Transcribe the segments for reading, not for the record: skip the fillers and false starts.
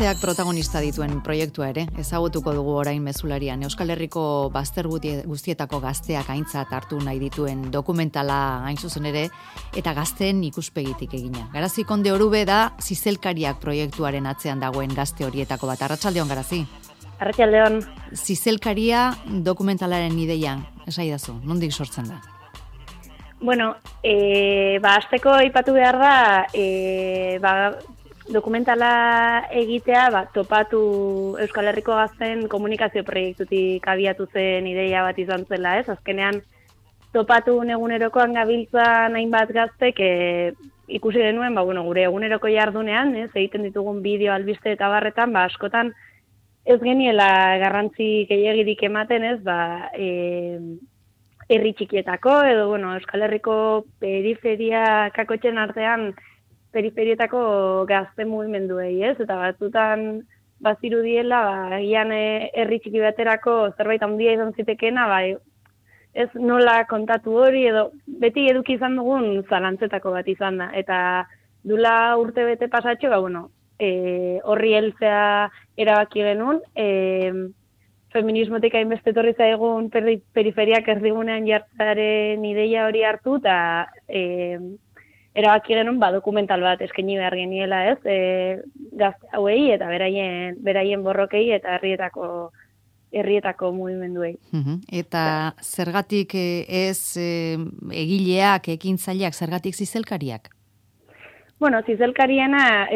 Gazteak protagonista dituen proiektua ere, ezagutuko dugu orain mezularian. Euskal Herriko bazter guztietako gazteak aintzat hartu nahi dituen dokumentala hain zuzen ere, eta gazteen ikuspegitik egina. Garazi Konde Orube da Zizelkariak proiektuaren atzean dagoen gazte horietako bat. Arratsaldeon, Garazi. Arratsaldeon. Zizelkaria dokumentalaren ideia, esaidazu, nondik sortzen da? Bueno, hasteko aipatu behar da, dokumentala egitea, topatu Euskal Herriko gazten komunikazio proiektutik abiatu zen ideia bat izan zela, ez? Azkenean, topatu egunerokoan gabiltzan hainbat gaztek ikusi denuen, gure eguneroko jardunean, ez? Egiten ditugun bideo, albiste eta barretan, askotan ez geniela garrantzi gehiagirik ematen, ez? Herri txikietako, edo, Euskal Herriko periferia kakotxen artean periferietako gazte mugimenduei, ez? Eta batzutan bazirudiela, egian herri txiki baterako zerbait handia izan zitekena, ez nola kontatu hori, edo beti eduki izan dugun zalantzetako bat izan da. Eta dula urte bete pasatxo, horri heltzea erabaki genuen, feminismotik hainbeste etorri zaigun periferiak erdigunean jartzaren ideia hori hartu, eta erabaki genuen dokumental bat eskaini behar geniela, ez? Gazte hauei eta beraien borrokei eta herrietako mugimenduei. Eta zergatik ez egileak, ekintzaileak, zergatik Zizelkariak? Zizelkariena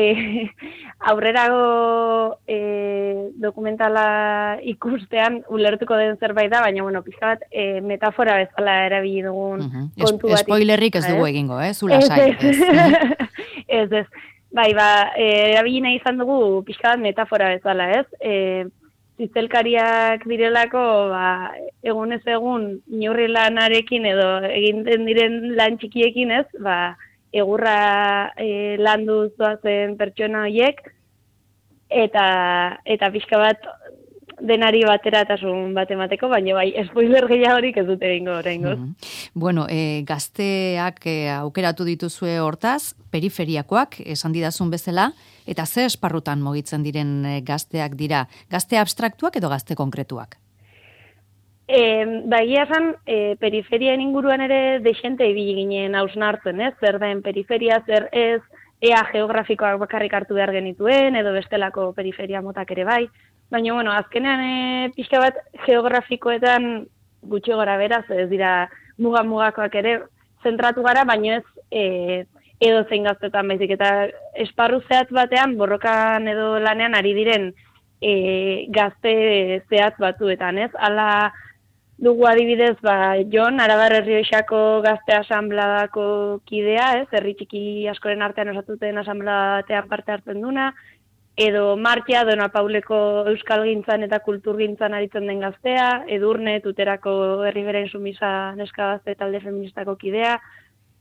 aurrerago dokumentala ikustean ulertuko den zerbait da, baina, pixka bat metafora bezala erabili dugun kontu bat. Spoilerrik ez dugu egingo, zula sai. Ez. Erabili nahi izan dugu pixka bat metafora bezala, ez? Zizelkariak direlako, egunez egun, inurri lanarekin edo egiten diren lan txikiekin, ez? Egurra landu zoazen pertsona horiek, eta pixka bat denari bateratasun bat emateko, baina spoiler gehiagorik ez dute egingo oraingoz. Gazteak aukeratu dituzue hortaz, periferiakoak, esan didazun bezala, eta ze esparrutan mugitzen diren gazteak dira? Gazte abstraktuak edo gazte konkretuak? Egia esan, periferian inguruan ere dexente ibili ginen hausnartzen, ez? Zer den periferia, zer ez, ea geografikoak bakarrik hartu behar genituen, edo bestelako periferia motak ere bai. Baina, azkenean pixka bat geografikoetan gutxi gora beraz, ez dira mugakoak ere zentratu gara, baina ez edo zein gaztetan baizik. Eta esparru zehatz batean, borrokan edo lanean ari diren gazte zehatz batzuetan, ez? Hala dugu adibidez, Jon, Arabar Errioxako gazte asanbladako kidea, ez? Herri txiki askoren artean osatuten asanbladean parte hartzen duna, edo Martia, Dona Pauleko euskalgintzan eta kulturgintzan aritzen den gaztea, Edurne, Tuterako herriberen sumisa neska gazte talde feministako kidea,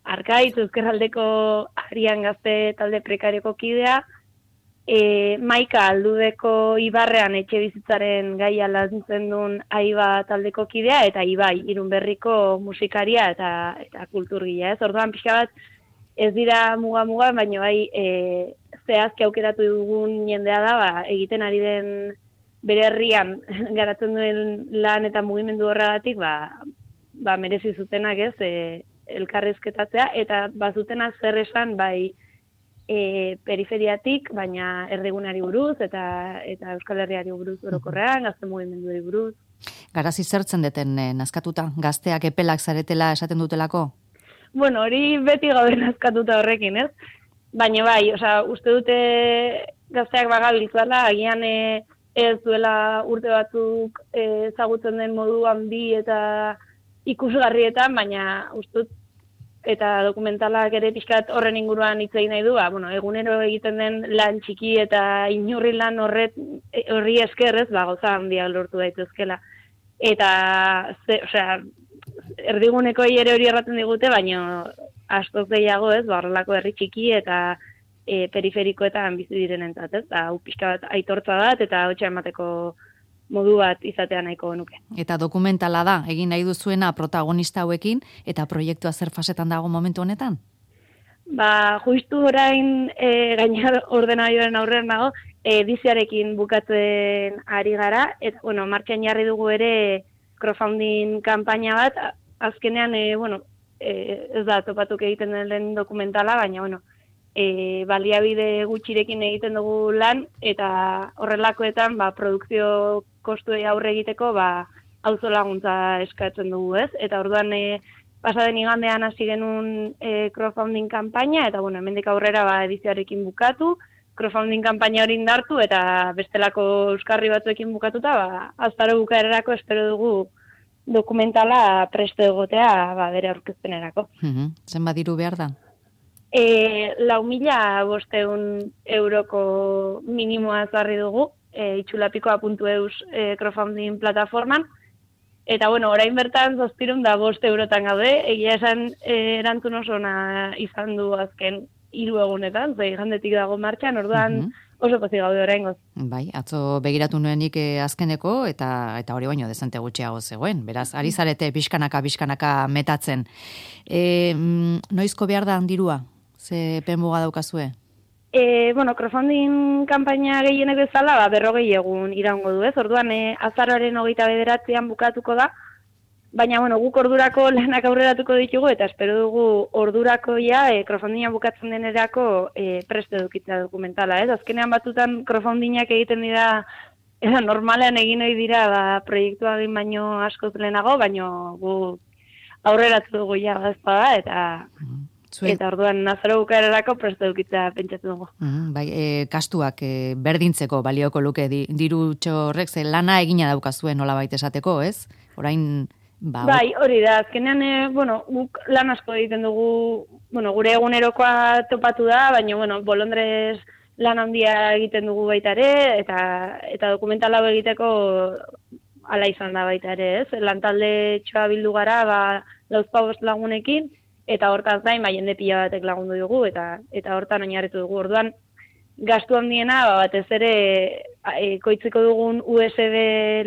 Arkaitz, Ezkerraldeko Arian gazte talde prekarioko kidea, Maika Aldudeko Ibarrean etxe bizitzaren gaia lantzen duen Aiba taldeko kidea, eta Ibai, Irunberriko musikaria eta kulturgila, ez? Orduan pixka bat ez dira muga, baina zehazki aukeratu dugun jendea da, egiten ari den bere herrian garatzen duen lan eta mugimendu horregatik, merezi zutenak, ez, elkarrizketatzea, eta bazutenak zer esan, periferiatik, baina erdigunari buruz, eta Euskal Herriari buruz orokorrean, gazte mugimenduei buruz. Garazi zertzen deten nazkatuta, gazteak epelak zaretela esaten dutelako? Hori beti gaude nazkatuta horrekin, ez? Baina uste dute gazteak bagabiltzala, agian ez duela urte batzuk ezagutzen den modu handi eta ikusgarrietan, baina uste dut eta dokumentalak ere pixkat horren inguruan hitz egin nahi du, egunero egiten den lan txiki eta inurri lan horri esker, ez, gauza handia lortu daitezkela. Eta, erdiguneko ere hori erraten digute, baina askoz gehiago, ez, horrelako herri txiki eta periferikoetan bizi direnentzat, ez, hau pixka bat aitortza bat eta hotxa emateko modu bat izatea nahiko nuke. Eta dokumentala da, egin nahi duzuena protagonista hauekin, eta proiektua zer fasetan dago momentu honetan? Justu orain gaina ordenagailuaren aurrean nago, ediziarekin bukatzen ari gara, eta, bueno, martxan jarri dugu ere crowdfunding kanpaina bat, azkenean, ez da topatuk egiten den lehen dokumentala, baina, bueno, baliabide gutxirekin egiten dugu lan, eta horrelakoetan, produkzio kostuei aurre egiteko, auzo laguntza eskatzen dugu, ez? Eta orduan, pasaden igandean hasi genuen crowdfunding kanpaina, eta, bueno, hemendik aurrera edizioarekin bukatu, crowdfunding kanpaina hori indartu, eta bestelako euskarri batzuekin bukatuta, aztaro bukaerarako espero dugu dokumentala preste egotea bere aurkezpenerako. Zenbat diru behar da? 4.500 euroko minimoa zarri dugu, itxulapikoa.eus crowdfunding plataforman, eta, bueno, orain bertan 705 eurotan gaude, egia esan erantzun oso ona izan du azken 3 egunetan, igandetik dago martxan, orduan oso pozik gaude oraingoz. Bai, atzo begiratu nuenik azkeneko, eta hori baino dezente gutxiago zegoen, beraz, ari zarete pixkanaka metatzen. Noizko behar da dirua? Ze penmuga daukazue? Crowdfunding kanpaina gehienek bezala, 40 egun iraungo du, ez? Orduan, azaroaren 29an bukatuko da, baina, guk ordurako lanak aurreratuko ditugu, eta espero dugu ordurako crowdfundinga bukatzen denerako preste edukitzea dokumentala, ez? Azkenean batutan crowdfundingak egiten dira, normalean egin ohi dira, proiektua egin baino askoz lehenago, baino gu aurreratu dugu ezpada, eta orduan azaro bukaerarako preste edukitzea pentsatu dugu. Bai, kastuak berdintzeko balioko luke dirutxo horrek, ze lana egina daukazuen nolabait esateko, ez? Orain... Bai, hori da, azkenean, guk lan asko egiten dugu, gure egunerokoa topatu da, baina, bolondrez lan handia egiten dugu baita ere, eta dokumental hau egiteko ala izan da baita ere, ez? Lantalde txoa bildu gara, 4 lagunekin, eta hortaz gain, jende pila batek lagundu dugu, eta hortan oinarritu dugu. Orduan, gastu handiena, batez ere, koitzeko dugun USB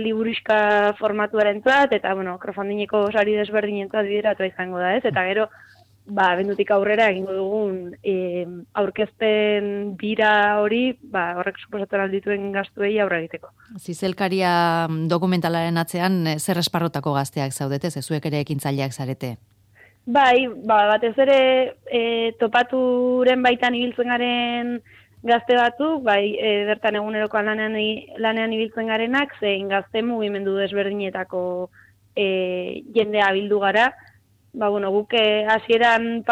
liburuxka formatuarentzat, eta, crowdfundingeko sari desberdinentzat bideratu izango da, ez? Eta gero, abendutik aurrera egingo dugun aurkezpen bira hori, horrek suposatzen aldituen gastuei aurre egiteko. Zizelkaria dokumentalaren atzean, zer esparrotako gazteak zaudete, zuek ere ekintzaileak zarete? Bai, batez ere topaturen baitan ibiltzen garen gazte batzuk, bertan egunerokoan lanean ibiltzen garenak, zein gazte mugimendu desberdinetako jendea bildu gara. Guk hasieran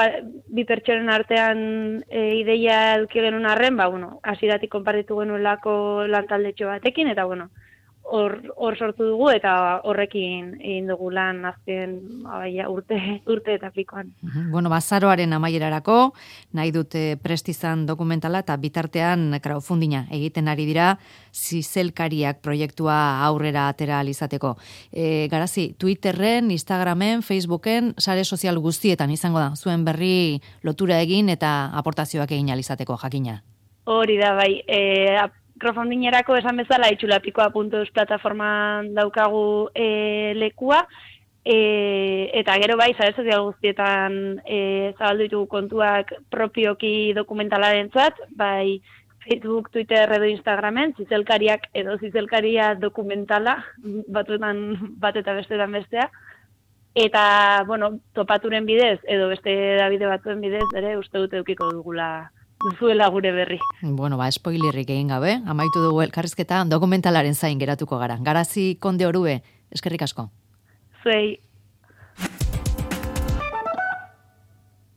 bi pertsonen artean ideia eduki genuen arren, hasieratik konpartitu genuelako lantaldetxo batekin, eta hor sortu dugu, eta horrekin egin dugu lan azken urte eta pikoan. Azaroaren amaierarako, nahi dute prestizan dokumentala, eta bitartean crowdfundinga egiten ari dira, zizelkariak proiektua aurrera atera alizateko. Garazi, Twitterren, Instagramen, Facebooken, sare sozial guztietan izango da, zuen berri lotura egin eta aportazioak egin alizateko, jakina. Hori da, bai, crowdfundingerako esan bezala itxulapikoa.eus plataforman daukagu lekua, eta gero sare sozial guztietan zabaldu ditugu kontuak propioki dokumentalarenzat, Facebook, Twitter edo Instagramen, zizelkariak edo zizelkaria dokumentala, batzuetan bat eta bestetan bestea, eta, topaturen bidez, edo beste Davide batzuen bidez, ere uste dute edukiko dugula duzuela gure berri. Spoilerrik egin gabe, amaitu dugu elkarrizketa dokumentalaren zain geratuko gara. Garazi Konde Orue, eskerrik asko. Zuei.